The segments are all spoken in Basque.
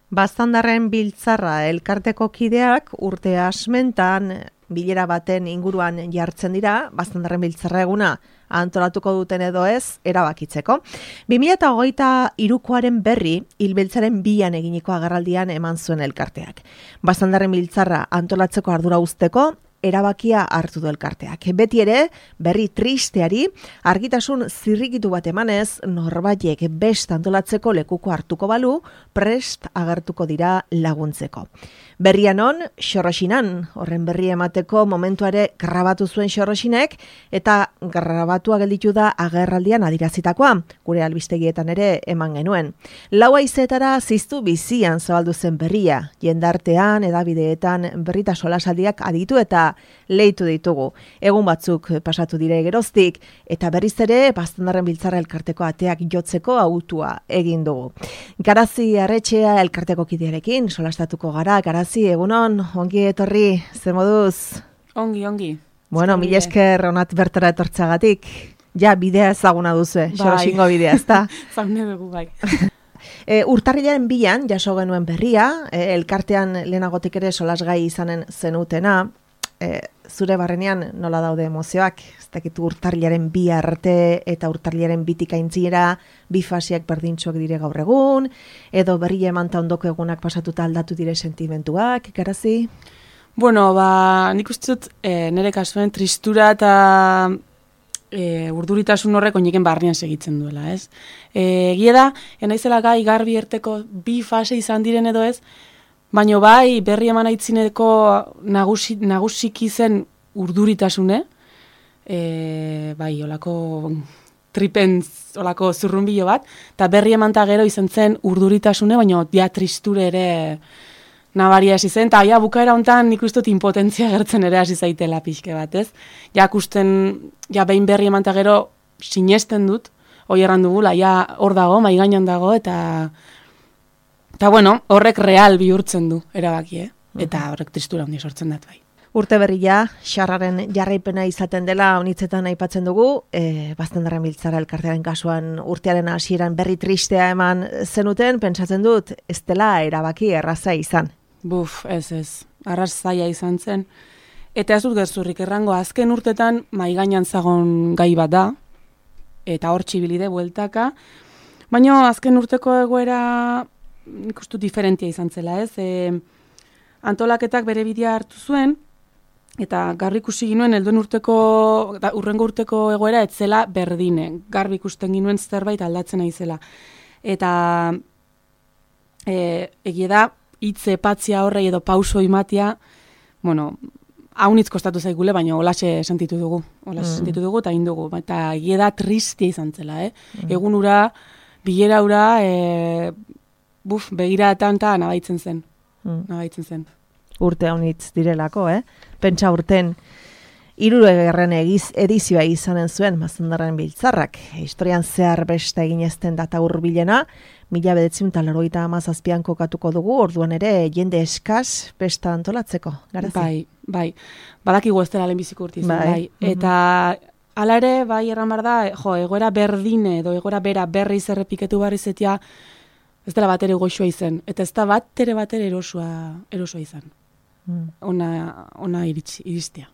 Baztandarren biltzarra elkarteko kideak urte asmentan bilera baten inguruan jartzen dira, Baztandarren biltzarra eguna antolatuko duten edo ez, erabakitzeko. 2023koaren berri, Hilbeltzaren 2an eginiko agerraldian eman zuen elkarteak. Baztandarren biltzarra antolatzeko ardura uzteko, erabakia hartu du elkarteak. Beti ere, berri tristeari, argitasun zirrikitu bat emanez, norbaitek best antolatzeko lekuko hartuko balu, prest agertuko dira laguntzeko. Berrian on, Xorroxinan, horren berri emateko momentuare grabatu zuen Xorroxinek, eta grabatua gelditu da agerraldian adirazitakoa, gure albistegietan ere eman genuen. Lau haizeetara ziztu bizian zabaldu zen berria, jendartean, edabideetan berrita solasaldiak aditu eta leitu ditugu. Egun batzuk pasatu dire geroztik, eta berriz ere Baztandarren biltzarra elkarteko ateak jotzeko autua egin dugu. Garazi Arretxea elkarteko kidearekin solastatuko gara. Garazi, egunon, ongi etorri, ze moduz? Ongi. Bueno, mil esker onat bertara etortzagatik. Ja, bidea ezaguna duzu, Xoroxingo bidea, ezta? Zaune dugu, bai. Urtarrilaren 2an jaso genuen berria, elkartean lehenagotik ere solasgai izanen zenutena, zure barrenean nola daude emozioak, ez dakit urtarrilaren 2 arte eta urtarrilaren 2tik aintzira, 2 fasiak berdintxoak dire gaur egun, edo berria emanta ondoko egunak pasatuta aldatu dire sentimentuak, Garazi? Bueno, nik uste dut nire kasuen tristura eta urduritasun horrek oineken barnean segitzen duela, ez? Egia da, naizela gai garbi erteko 2 fase izan diren edo ez, baina bai berri eman aitzineko nagusiki zen urduritasune, bai, olako tripentz, olako zurrunbilo bat, eta berri eman gero izan zen urduritasune, baina ja tristure ere nabaria hasi zen, eta ja bukaera hontan nik uste dut impotentzia gertzen ere hasi zaitela pixke bat, ez? Ja behin berri eman gero sinesten dut, hoi erran dugula, ja hor dago, mai gainan dago, eta bueno, horrek real bihurtzen du erabaki, eta horrek tristura handi sortzen dut bai. Urte berria, xarraren jarraipena izaten dela honitzetan aipatzen dugu, Baztandarren biltzarra elkartearen kasuan urtearen hasieran berri tristea eman zenuten, pentsatzen dut, ez dela erabaki erraza izan. Buf, ez, arrazaia izan zen. Eta ez dut gezurrik errango, azken urtetan maigainan zagon gai bat da, eta hor txibilide bueltaka, baina azken urteko egoera nik uste diferentia izan zela, ez? Antolaketak bere bidea hartu zuen, eta garbi ikusi ginuen urrengo urteko egoera etzela berdine. Garbi ikusten ginuen zerbait aldatzen naizela. Eta egia da, hitz epatzia horrei edo pauso imatia, bueno, haunitz kostatu zaigule, baina holaxe sentitu dugu. Sentitu dugu eta indugu. Eta egia da tristia izan zela, Egun ura, bilera ura, begiratan eta nabaitzen zen. Urte haunitz direlako, Pentsa urten 60. edizioa izanen zuen Baztandarren biltzarrak. Historian zehar beste egin ezten data hurbilena, 1997an kokatuko dugu, orduan ere jende eskas besta antolatzeko. Garazi? Bai. Badakigu ez dela lehenbiziko urte izan, bai. Eta hala ere, bai erran behar da, egoera berdine edo egoera bera berriz errepiketu barri zetia, ez dela batere goxua izan. Eta ez da batere erosua izan. Ona iristia.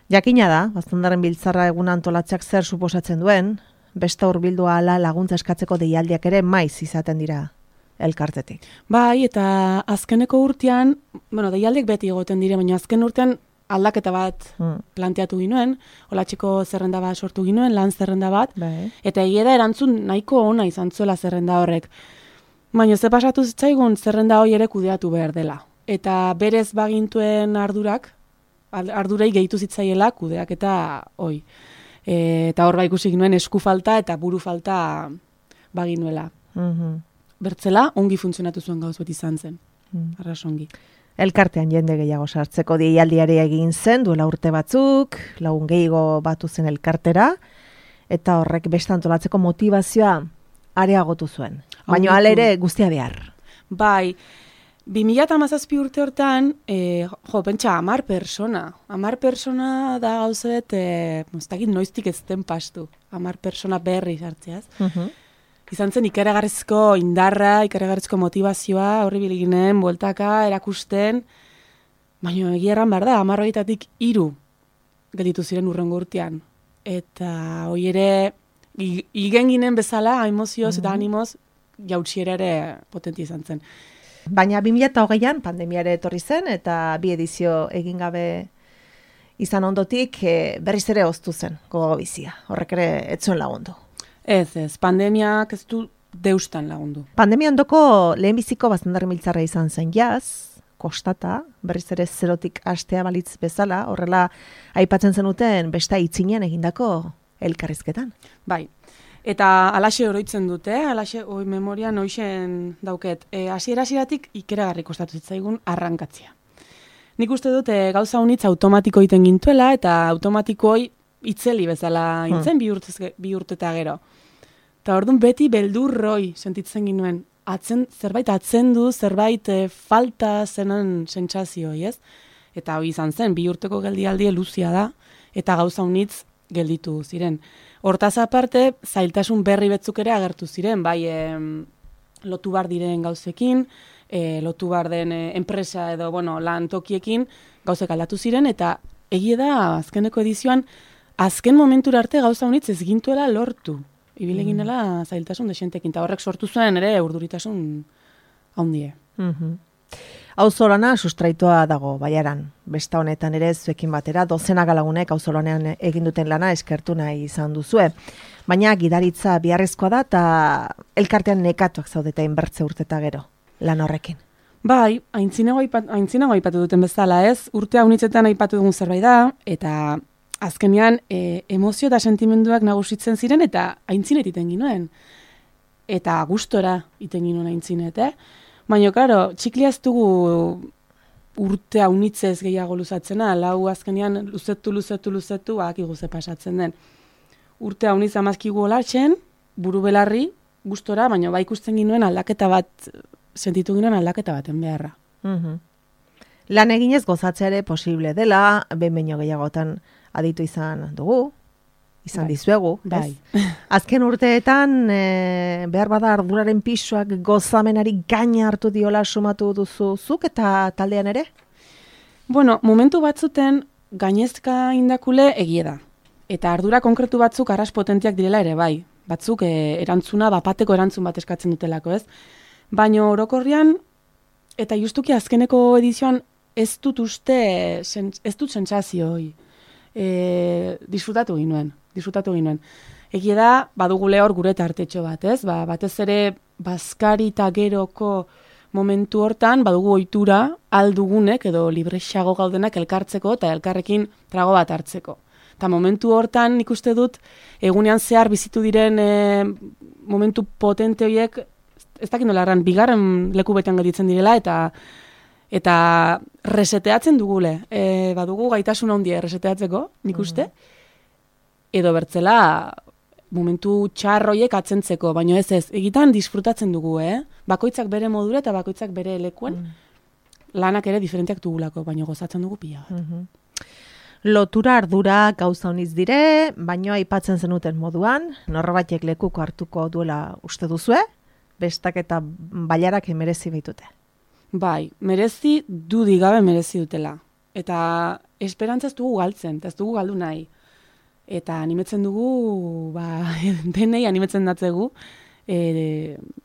Jakina da, Baztandarren biltzarra egun antolatzeak zer suposatzen duen, besta hurbildua ala laguntza eskatzeko deialdiak ere maiz izaten dira elkartetik. Bai, eta azkeneko urtean, deialdiak beti egoten dire, baina azken urtean aldaketa bat planteatu ginuen, olatxiko zerrenda bat sortu ginuen, lan zerrenda bat, eta egia da erantzun nahiko ona izan zuela zerrenda horrek. Baina ze pasatu zitzaigun zerrenda hori ere kudeatu behar dela. Eta berez bagintuen ardurei gehitu zitzaiela kudeak eta hoi. Eta hor ikusi ginuen esku falta eta buru falta baginuela. Bertzela, ongi funtzionatu zuen gauz beti izan zen. Arras ongi. Elkartean jende gehiago sartzeko deialdiare egin zen, duela urte batzuk, lagun gehiago batu zen elkartera, eta horrek beste antolatzeko motivazioa areagotu zuen. Baina hala ere guztia behar. Bai, 2017 urte hortan, pentsa, 10 persona. 10 persona da gauzet, ez dakit noiztik ez den pastu. 10 persona berri sartzeaz. izan zen ikaragarrizko indarra, ikaragarrizko motivazioa, horri biliginen, bueltaka, erakusten, baina egia erran behar da, 10-tatik 3 gelditu ziren urrengo urtean. Eta hoi ere, igen ginen bezala, emozioz eta animoz, jautsiera ere potentia izan zen. Baina 2008an pandemiare etorri zen, eta 2 edizio egin gabe izan ondotik, berriz ere oztu zen gogo bizia. Horrek ere etzuen lagundu. Ez, pandemiak ez du deustan lagundu. Pandemia ondoko lehenbiziko bazendarri miltzarra izan zen jaz, kostata, berriz ere zerotik hastea balitz bezala, horrela aipatzen zenuten besta itzinean egindako elkarrizketan. Bai, eta alaxe oroitzen dute, alaxe memorian hoixen dauket. Hasiera-hasieratik ikeragarri kostatu zitzaigun arrankatzea. Nik uste dut gauza unitz automatiko egiten gintuela, eta automatikoi itzeli bezala intzen 2 urte eta gero. Eta orduan beti beldurroi sentitzen ginuen. Zerbait atzendu, zerbait falta zenan sentsazioi, ez? Eta hoi izan zen, 2 urteko geldialdi luzia da, eta gauza unitz gelditu ziren. Hortaz aparte, zailtasun berri betzuk ere agertu ziren, bai lotu bar diren gauzekin, lotu bar den enpresa edo lan tokiekin gauzek aldatu ziren, eta egie da azkeneko edizioan, azken momentura arte gauza unitz ez gintuela lortu. Ibile ginela zailtasun desentekin, eta horrek sortu zuen ere urduritasun haundie. Auzolana sustraitoa dago Baiaran. Besta honetan ere zuekin batera, dozenaka lagunek auzolanean egin duten lana eskertu nahi izan duzue. Baina gidaritza biharrezkoa da eta elkartean nekatuak zaudeta inbertze urteta gero, lan horrekin. Bai, aintzinago aipatu duten bezala, ez? Urte haunitzetan aipatu dugun zerbait da, eta azkenean emozio eta sentimenduak nagusitzen ziren eta aintzinet iten ginuen. Eta gustora iten ginuen aintzinet, Baina, klaro, txiklia ez dugu urte haunitzez gehiago luzatzena, lau azkenean luzetu, akigu ze pasatzen den. Urte haunitz amazkigu olatxen, buru belarri, gustora, baina bai ikusten ginuen aldaketa bat, sentitu ginen aldaketa baten beharra. Lan eginez gozatzea ere posible dela, behin baino gehiagotan aditu izan dugu, izan dizuegu. Bai. Azken urteetan, behar bada arduraren pisuak gozamenari gaina hartu diola sumatu duzu zuk eta taldean ere? Bueno, momentu batzuten gainezka indakule egie da. Eta ardura konkretu batzuk arras potentiak direla ere bai. Batzuk erantzuna, bapateko erantzun bat eskatzen dutelako, ez? Baina orokorrian, eta justuki azkeneko edizioan ez dut sentsazio hoi. Disfrutatu ginuen. Egia da, badugule hor gure tartetxo bat, ez? Batez ere, bazkari eta geroko momentu hortan, badugu ohitura aldugunek edo librexago gaudenak elkartzeko eta elkarrekin trago bat hartzeko. Eta momentu hortan nik uste dut, egunean zehar bizitu diren momentu potente horiek, ez dakit nola erran, bigarren leku betean gelditzen direla, eta reseteatzen dugule. Badugu gaitasun handia reseteatzeko, nik uste, edo bertzela momentu txarroiek atzentzeko, baina ez, egitan disfrutatzen dugu, Bakoitzak bere modura eta bakoitzak bere lekuen, lanak ere diferenteak dugulako, baina gozatzen dugu pila bat. Lotura ardura gauza honiz dire, baina aipatzen zenuten moduan, norbaitek lekuko hartuko duela uste duzue, bestak eta bailarak merezi baitute. Bai, merezi dudigabe merezi dutela. Eta esperantza ez dugu galtzen, eta ez dugu galdu nahi. Eta animetzen dugu, denei animetzen datzegu,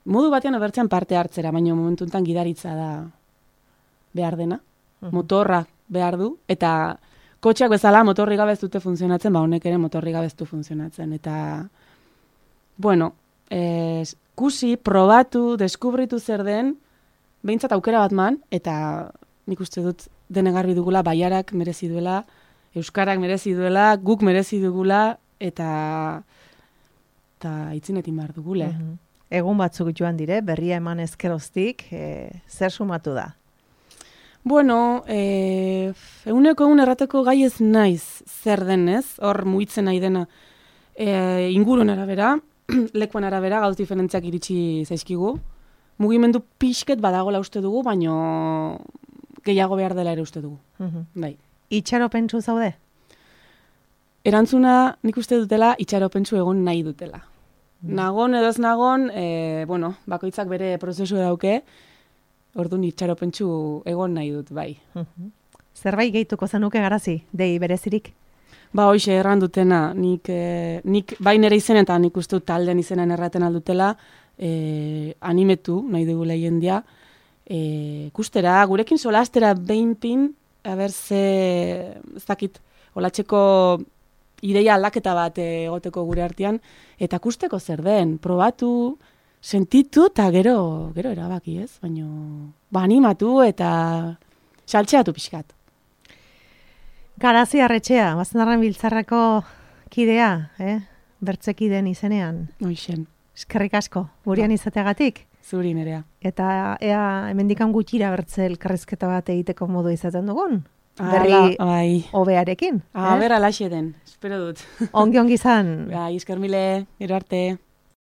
modu batean obertzean parte hartzera, baina momentu enten gidaritza da behar dena, motorra behar du, eta kotxeak bezala motorri gabe ez dute funtzionatzen, honek ere motorri gabe ez du funtzionatzen. Eta, bueno, kusi, probatu, deskubritu zer den, behintzat aukera bat man, eta nik uste dut denegarri dugula, Baiarak merezi duela, Euskarak merezi duela, guk merezi dugula, eta itzinetin behar dugule. Egun batzuk joan dire, berria eman ezkeroztik, zer sumatu da? Bueno, eguneko egun errateko gai ez naiz zer denez, hor muitzen nahi dena inguruen arabera, lekuan arabera, gauz diferentziak iritsi zaizkigu. Mugimendu pixket badagola uste dugu, baino gehiago behar dela ere uste dugu. Bai. Itxaropentsu zaude? Erantzuna nik uste dutela itxaropentsu egon nahi dutela. Nagon edo ez nagon, bakoitzak bere prozesu dauke, orduan itxaropentsu egon nahi dut, bai. Zerbait gehituko zenuke Garazi, dei berezirik? Ba, hoxe erran dutena, nik bai nire izenen eta nik uste dut talden izenen erraten aldutela, animetu nahi dugula jendia, kustera, gurekin solastera behin pin, haber ez dakit, olatxeko ideia aldaketa bat egoteko gure artean, eta kusteko zer den, probatu, sentitu eta gero erabaki ez, baina animatu eta saltxeatu pixkat. Garazi Arretxea, Bastandarren Biltzarrako kidea, bertzekiden izenean. Hoixen. Eskerrik asko, gurean izateagatik. Zuri nerea. Eta ea hemendikan gutxira bertze elkarrizketa bat egiteko modu izaten dugun. Berri hobearekin. Berra laxe den, espero dut. Ongi izan. Bai, esker mile, gero arte.